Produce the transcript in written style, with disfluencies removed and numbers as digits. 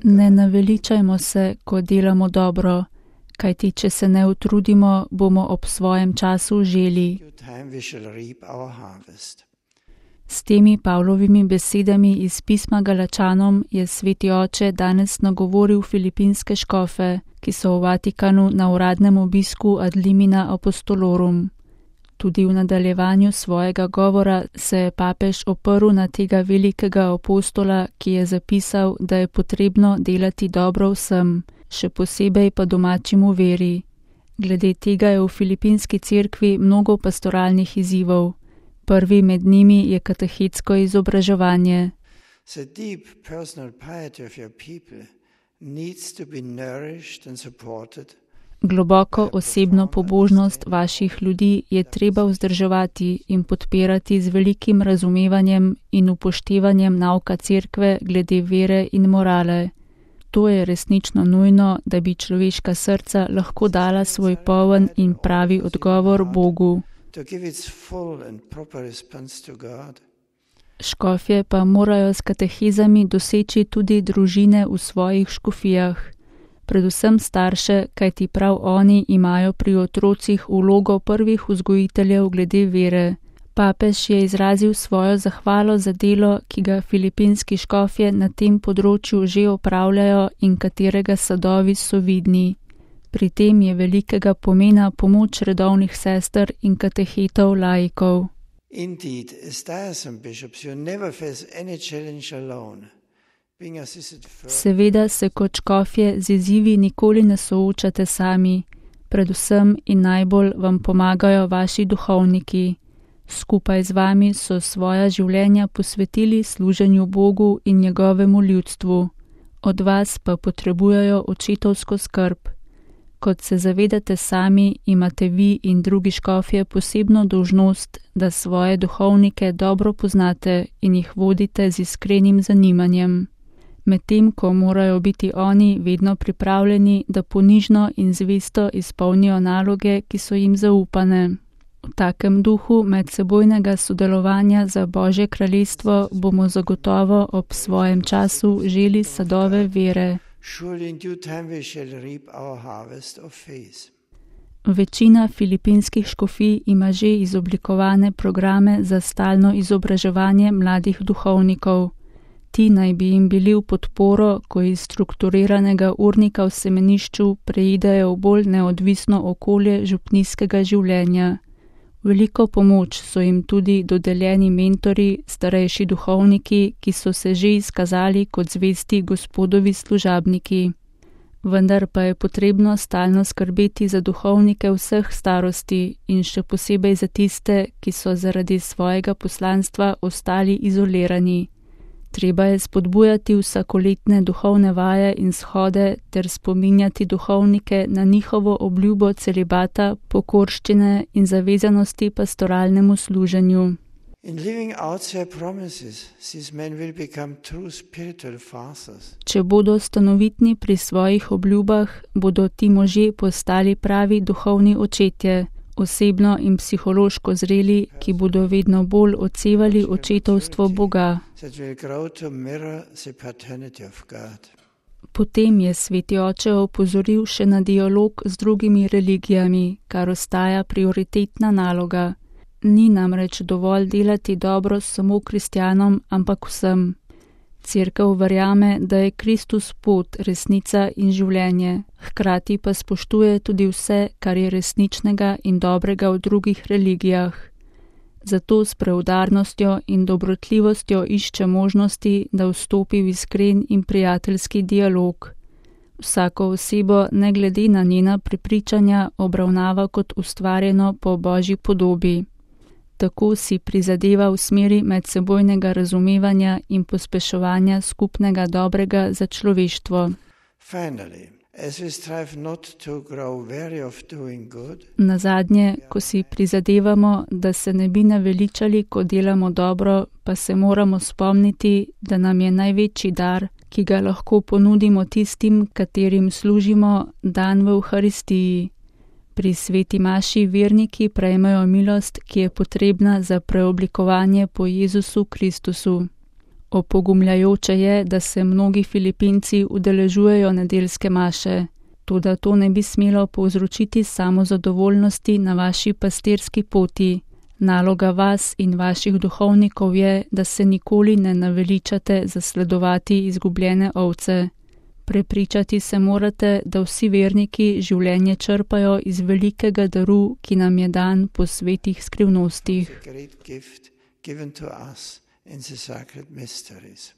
Ne naveličajmo se, ko delamo dobro, kajti če se ne utrudimo, bomo ob svojem času želi. S temi Pavlovimi besedami iz pisma Galačanom je sveti oče danes nagovoril filipinske škofe, ki so v Vatikanu na uradnem obisku ad limina apostolorum. Tudi v nadaljevanju svojega govora se je papež oprl na tega velikega apostola, ki je zapisal, da je potrebno delati dobro vsem, še posebej pa domačim v veri. Glede tega je v filipinski cerkvi mnogo pastoralnih izzivov. Prvi med njimi je katehetsko izobraževanje. Globoko osebno pobožnost vaših ljudi je treba vzdrževati in podpirati z velikim razumevanjem in upoštevanjem nauka cerkve glede vere in morale. To je resnično nujno, da bi človeška srca lahko dala svoj poln in pravi odgovor Bogu. Škofje pa morajo s katehizami doseči tudi družine v svojih škofijah. Predvsem starše, kajti prav oni imajo pri otrocih vlogo prvih vzgojiteljev glede vere. Papež je izrazil svojo zahvalo za delo, ki ga filipinski škofje na tem področju že opravljajo in katerega sadovi so vidni. Pri tem je velikega pomena pomoč redovnih sester in katehetov laikov. Seveda se kot škofje z izzivi nikoli ne soočate sami, predvsem in najbolj vam pomagajo vaši duhovniki. Skupaj z vami so svoja življenja posvetili služenju Bogu in njegovemu ljudstvu. Od vas pa potrebujejo očetovsko skrb. Kot se zavedate sami, imate vi in drugi škofje posebno dolžnost, da svoje duhovnike dobro poznate in jih vodite z iskrenim zanimanjem. Medtem ko morajo biti oni vedno pripravljeni, da ponižno in zvesto izpolnijo naloge, ki so jim zaupane. V takem duhu medsebojnega sodelovanja za Božje kraljestvo bomo zagotovo ob svojem času želi sadove vere. Večina filipinskih škofij ima že izoblikovane programe za stalno izobraževanje mladih duhovnikov. Ti naj bi jim bili v podporo, ko iz strukturiranega urnika v semenišču preidejo v bolj neodvisno okolje župnijskega življenja. Veliko pomoč so jim tudi dodeljeni mentori, starejši duhovniki, ki so se že izkazali kot zvesti Gospodovi služabniki. Vendar pa je potrebno stalno skrbeti za duhovnike vseh starosti in še posebej za tiste, ki so zaradi svojega poslanstva ostali izolirani. Treba je spodbujati vsakoletne duhovne vaje in shode ter spominjati duhovnike na njihovo obljubo celibata, pokorščine in zavezanosti pastoralnemu služenju. Če bodo stanovitni pri svojih obljubah, bodo ti možje postali pravi duhovni očetje, osebno in psihološko zreli, ki bodo vedno bolj odsevali očetovstvo Boga. Potem je sveti oče opozoril še na dialog z drugimi religijami, kar ostaja prioritetna naloga. Ni namreč dovolj delati dobro samo kristjanom, ampak vsem. Cerkev verjame, da je Kristus pot, resnica in življenje, hkrati pa spoštuje tudi vse, kar je resničnega in dobrega v drugih religijah. Zato s preudarnostjo in dobrotljivostjo išče možnosti, da vstopi v iskren in prijateljski dialog. Vsako osebo, ne glede na njena prepričanja, obravnava kot ustvarjeno po Božji podobi. Tako si prizadeva v smeri medsebojnega razumevanja in pospeševanja skupnega dobrega za človeštvo. Nazadnje, ko si prizadevamo, da se ne bi naveličali, ko delamo dobro, pa se moramo spomniti, da nam je največji dar, ki ga lahko ponudimo tistim, katerim služimo, dan v Evharistiji. Pri sveti maši verniki prejmejo milost, ki je potrebna za preoblikovanje po Jezusu Kristusu. Opogumljajoče je, da se mnogi Filipinci udeležujejo nedeljske maše, toda to ne bi smelo povzročiti samozadovoljnosti na vaši pastirski poti. Naloga vas in vaših duhovnikov je, da se nikoli ne naveličate zasledovati izgubljene ovce. Prepričati se morate, da vsi verniki življenje črpajo iz velikega daru, ki nam je dan po svetih skrivnostih. Given to us in the sacred mysteries.